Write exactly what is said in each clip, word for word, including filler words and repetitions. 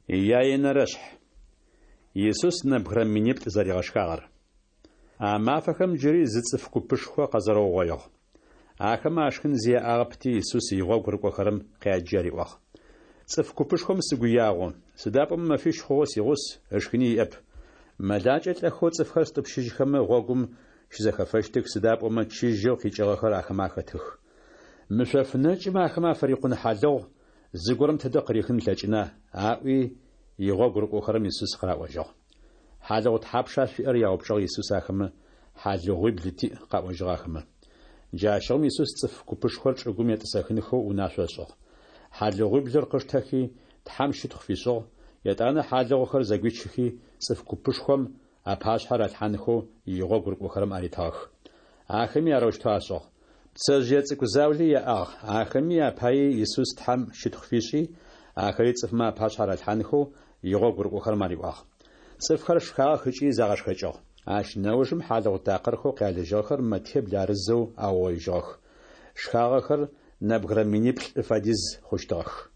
Яенэрэшъхь. Исус нэбгырэ миниплӏ зэригъэшхагъэр. А мафэхэм джыри зы цӏыф купышхо къэзэрэугъоигъ. Ахэмэ ашхын зи яӏагъэпти, Исус игъогу рыкӏохэрэм къяджи ариӏуагъ: «Цӏыф купышхом сыгу ягъу, сыда пӏомэ мэфищ хъугъэу сигъус, ышхыни иӏэп. Мэлакӏэ лӏэхэу цӏыфхэр стӏупщыжьхэмэ гъогум щызэхэфэщтых, сыда пӏомэ чыжьэу къикӏыгъэхэр ахэмэ ахэтых. Мы шъоф нэкӏым ахэмэ афырикъун хьалыгъу зыгорэм тыдэ къырихын ылъэкӏына?» аӏуи игъогу рыкӏохэрэм Исус къыраӏожьыгъ. «Хьалыгъу тхьапша шъуиӏэр?» яупчӏыгъ Исус ахэмэ. «Хьалыгъуибл тиӏ», къаӏожьыгъ ахэмэ. Джащыгъум Исус цӏыф купышхор чӏыгум етӏысэхынхэу унашъо ышӏыгъ. Хьалыгъуиблыр къыштэхи, Тхьэм щытхъу фишӏыгъ, етӏанэ хьалыгъухэр зэгуичыхи, цӏыф купышхом апашъхьэ ралъхьанхэу игъогу рыкӏохэрэм аритыгъэх. Ахэми арэущтэу ашӏыгъ. Пцэжъые цӏыкӏу заули яӏагъ, ахэми апаий Исус Тхьэм щытхъу фишӏи, ахэри цӏыфмэ апашъхьэ ралъхьанхэу игъогу рыкӏохэрэм ариӏуагъ. Цӏыфхэр шхагъэх ыкӏи загъэшхэкӏыгъ. Ащ нэужым хьалыгъу такъырхэу къялыжьыгъэхэр мэтибл арызэу аугъоижьыгъэх. Шхагъэхэр нэбгырэ миниплӏ фэдиз хъущтыгъэх.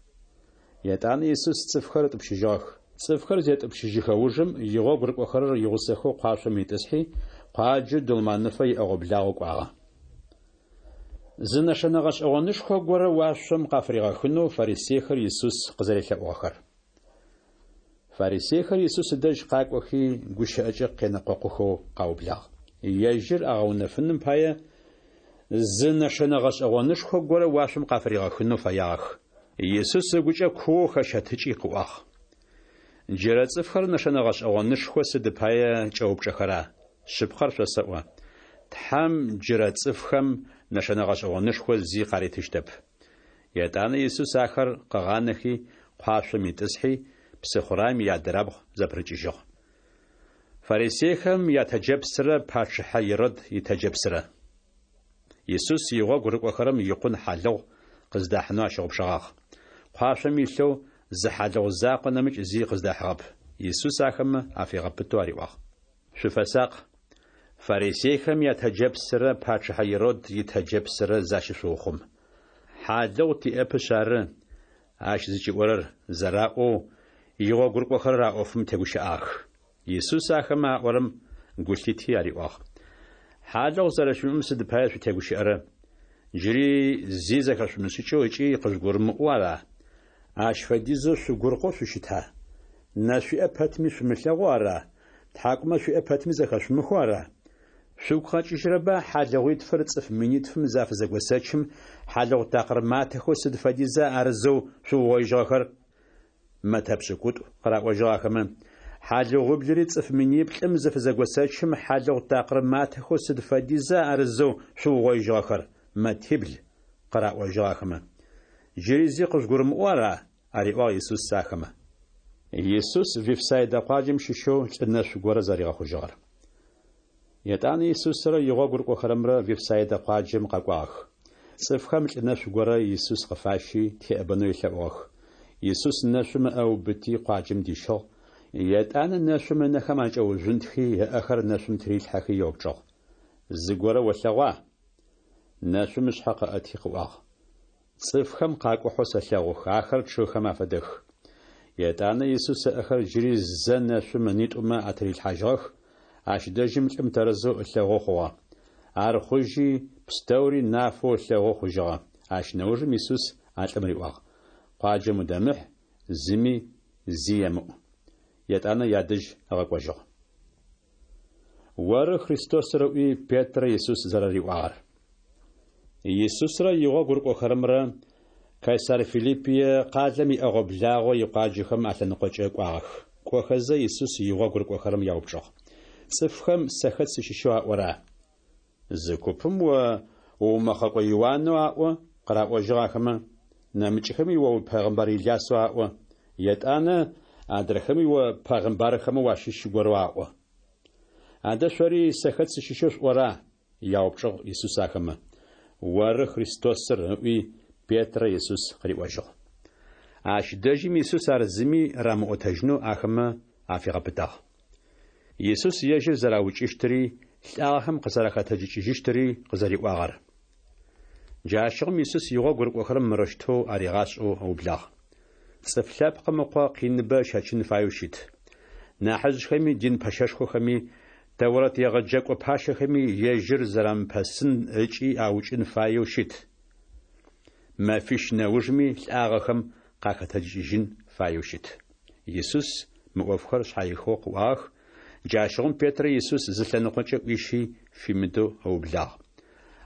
Етӏанэ Исус цӏыфхэр ытӏупщыжьыгъэх. Цӏыфхэр зетӏупщыжьыхэ ужым игъогу рыкӏохэрэр игъусэхэу къуашъом итӏысхьи, къуаджэу Дулманыфэ иӏэгъо-благъо кӏуагъэ. Зы нэшэнэ гъэшӏэгъонышхо горэ уашъом къафыригъэхынэу фарисейхэр Исус къызэрелъэӏугъэхэр. Фарисейхэр Исус ыдэжь къакӏохи, гущыӏэкӏэ къенэкъокъухэу къаублагъ. Ежьыр агъэунэфыным пае зы нэшэнэ гъэшӏэгъонышхо горэ уашъом къафыригъэхынэу фэягъэх. Исус ыгукӏэ куоу хэщэтыкӏи къыӏуагъ: «Джырэ цӏыфхэр нэшэнэ гъэшӏэгъонышхо сыд пае кӏэупчӏэхэра? Шъыпкъэр шъосэӏо, Тхьэм джырэ цӏыфхэм нэшэнэ гъэшӏэгъонышхо зи къаритыщтэп». Етӏанэ Исус ахэр къыгъанэхи, къуашъом итӏысхьи, псыхъураем иадырабгъу зэпырыкӏыжьыгъ. Фарисейхэм ятэджэпсырэ пачъыхьэ Ирод итэджэпсырэ. Исус игъогу рыкӏохэрэм икъун хьалыгъу къыздахьынэу ащыгъупшэгъагъ. Къуашъом илъэу зы хьалыгъу закъо нэмыкӏ зи къыздахьыгъэп. Исус ахэмэ афигъэпытэу ариӏуагъ: «Шъуфэсакъ! Фарисейхэм ятэджэпсырэ пачъыхьэ Ирод итэджэпсырэ защышъуухъум. Хьалыгъу тиӏэпышъ ары ащ зыкӏиӏорэр», зэраӏоу игъогу рыкӏохэрэр а ӏофым тегущыӏагъэх. Исус ахэмэ аӏорэм гу лъити ариӏуагъ: «Хьалыгъу зэрэшъуимыӏэм сыд пае шъутегущыӏэрэ? Джыри зи зэхэшъумышӏыкӏэу ыкӏи къыжъугурымыӏоу ара? Ащ фэдизэу шъугуркъэу шъущыта? Нэ шъуиӏэ пэтми шъумылъэгъоу ара? Тхьакӏумэ шъуиӏэ пэтми зэхэшъумыхэу ара? Шъугу къэкӏыжьырэба хьалыгъуитфыр цӏыф минитфым зафызэгосэчым хьалыгъу такъыр матэхэу сыд фэдиза арызэу шъуугъоижьыгъэхэр? Мэтэ пшӏыкӏутӏу къыраӏожьыгъ ахэмэ. Хьалыгъуиблыри цӏыф миниплӏым зыфызэгосэчым хьалыгъу такъыр матэхэу сыд фэдиза арызэу шъуугъоижьыгъэхэр? Мэтибл къыраӏожьыгъ ахэмэ. Джыри зи къыжъугурымыӏоу ара? Ариӏуагъ Исус ахэмэ. Исус Вифсайдэ къуаджэм щыщэу лӏы нэшъу горэ зэригъэхъужьыгъэр. Етӏанэ Исусрэ игъогу рыкӏохэрэмрэ Вифсайдэ къуаджэм къэкӏуагъэх. Цӏыфхэм лӏы нэшъу горэ Исус къыфащи теӏэбэнэу елъэӏугъэх. Исус нэшъум ыӏэ ыубыти къуаджэм дищыгъ. Етӏанэ нэшъум ынэхэм акӏэужъунтхи, ыӏэхэр нэшъум тырилъхьэхи еупчӏыгъ: «Зыгорэ олъэгъуа?» Нэшъум ышъхьэ къыӏэти къыӏуагъ: «Цӏыфхэм къакӏухьэу сэлъэгъух, ахэр чъыгхэм афэдэх». Етӏанэ Исус ыӏэхэр джыри зэ нэшъум ынитӏумэ атырилъхьажьыгъэх, ащ дэжьым лӏым тэрэзэу ылъэгъоу хъугъэ. Ар хъужьи, пстэури нафэу ылъэгъоу хъужьыгъэ. Ащ нэужым Исус а лӏым риӏуагъ: «Къуаджэм удэмыхь, зыми зи емыӏу». Етӏанэ ядэжь ыгъэкӏожьыгъ. Оры Христосыр ыӏуи Петрэ Исус зэрэриӏуагъэр. Исусрэ игъогу рыкӏохэрэмрэ Кайсар Филиппие къалэм иӏэгъо-благъо икъуаджэхэм алъэныкъокӏэ кӏуагъэх. Кӏохэзэ Исус игъогу рыкӏохэрэм яупчӏыгъ: «Цӏыфхэм сэ хэт сыщыщэу аӏора?» Зы купым о уумэхъэкӏо Иуанэу аӏо, къыраӏожьыгъ ахэмэ. Нэмыкӏхэми о пегъэмбар Илясэу аӏо. Етӏанэ адрэхэми о пегъэмбархэмэ уащыщ горэу аӏо. Адэ шъори сэ хэт сыщыщэу шъуӏора? Яупчӏыгъ Исус ахэмэ. Оры Христосыр, ыӏуи Петрэ Исус къыриӏожьыгъ. Ащ дэжьым Исус ар зыми рамыӏотэжьынэу ахэмэ афигъэпытагъ. Исус ежьыр зэраукӏыщтыри, лӏагъэхэм къызэрахэтэджыкӏыжьыщтыри къызэриӏуагъэр. Джащыгъум Исус игъогу рыкӏохэрэм мырэущтэу аригъашӏэу ыублагъ: Цӏыф Лъэпкъым Ыкъо къиныбэ ыщэчын фаеу щыт. Нахьыжъхэми, дин пэщэшхохэми, Тэурэт егъэджэкӏо пащэхэми ежьыр зэрамыпэсын ыкӏи аукӏын фаеу щыт. Мэфищ нэужми лӏагъэхэм къахэтэджыкӏыжьын фаеу щыт. Исус мы ӏофхэр шъхьаихыгъэу къыӏуагъэх. Джащыгъум Петрэ Исус зы лъэныкъокӏэ ӏуищи фимыдэу ыублагъ.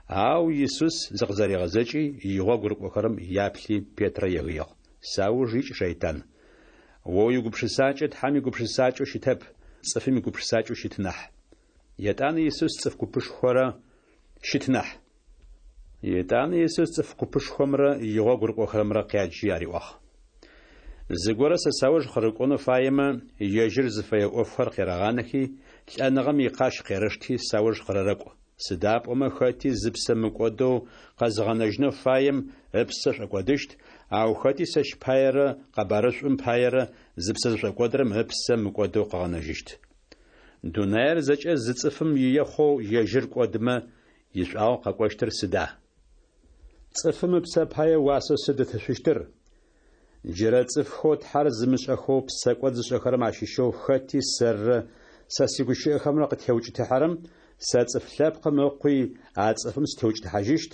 Ау Исус зыкъызэригъэзэкӏи, игъогу рыкӏохэрэм яплъи Петрэ егыигъ: Сауж икӏ, шэйтан! О уигупшысакӏэ Тхьэм игупшысакӏэу щытэп, цӏыфым игупшысакӏэу щыт нахь. Етӏанэ Исус цӏыф купышхорэ щыт нахь. Етӏанэ Исус цӏыф купышхомрэ игъогу рыкӏохэрэмрэ къяджи ариӏуагъ: Зыгорэ сэ сауж къырыкӏонэу фаемэ, ежьыр зыфэе ӏофхэр къерэгъанэхи, лӏэныгъэм икъащ къерэшти сауж къырэрэкӏу. Сыда пӏомэ хэти зыпсэ мыкӏодэу къэзыгъэнэжьынэу фаем ыпсэ шӏокӏодыщт, ау хэти сэщ паерэ къэбарышӏум паерэ зыпсэ зышӏокӏодырэм ыпсэ мыкӏодэу къыгъэнэжьыщт. Дунаер зэкӏэ зы цӏыфым ие хъоу ежьыр кӏодымэ, ишӏуагъэу къэкӏощтыр сыда? Цӏыфым ыпсэ пае уасэу сыд ытышъущтыр? Джырэ цӏыфхэу Тхьэр зымышӏэхэу псэкӏод зышӏэхэрэм ащыщэу хэти сэррэ сэ сигущыӏэхэмрэ къытеукӏытыхьэрэм, сэ Цӏыф Лъэпкъым Ыкъуи а цӏыфым сытеукӏытыхьажьыщт,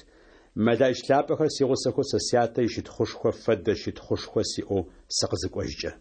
мэлэӏич лъапӏэхэр сигъусэхэу сэ Сятэ ищытхъушхо фэдэ щытхъушхо сиӏэу сыкъызыкӏожькӏэ.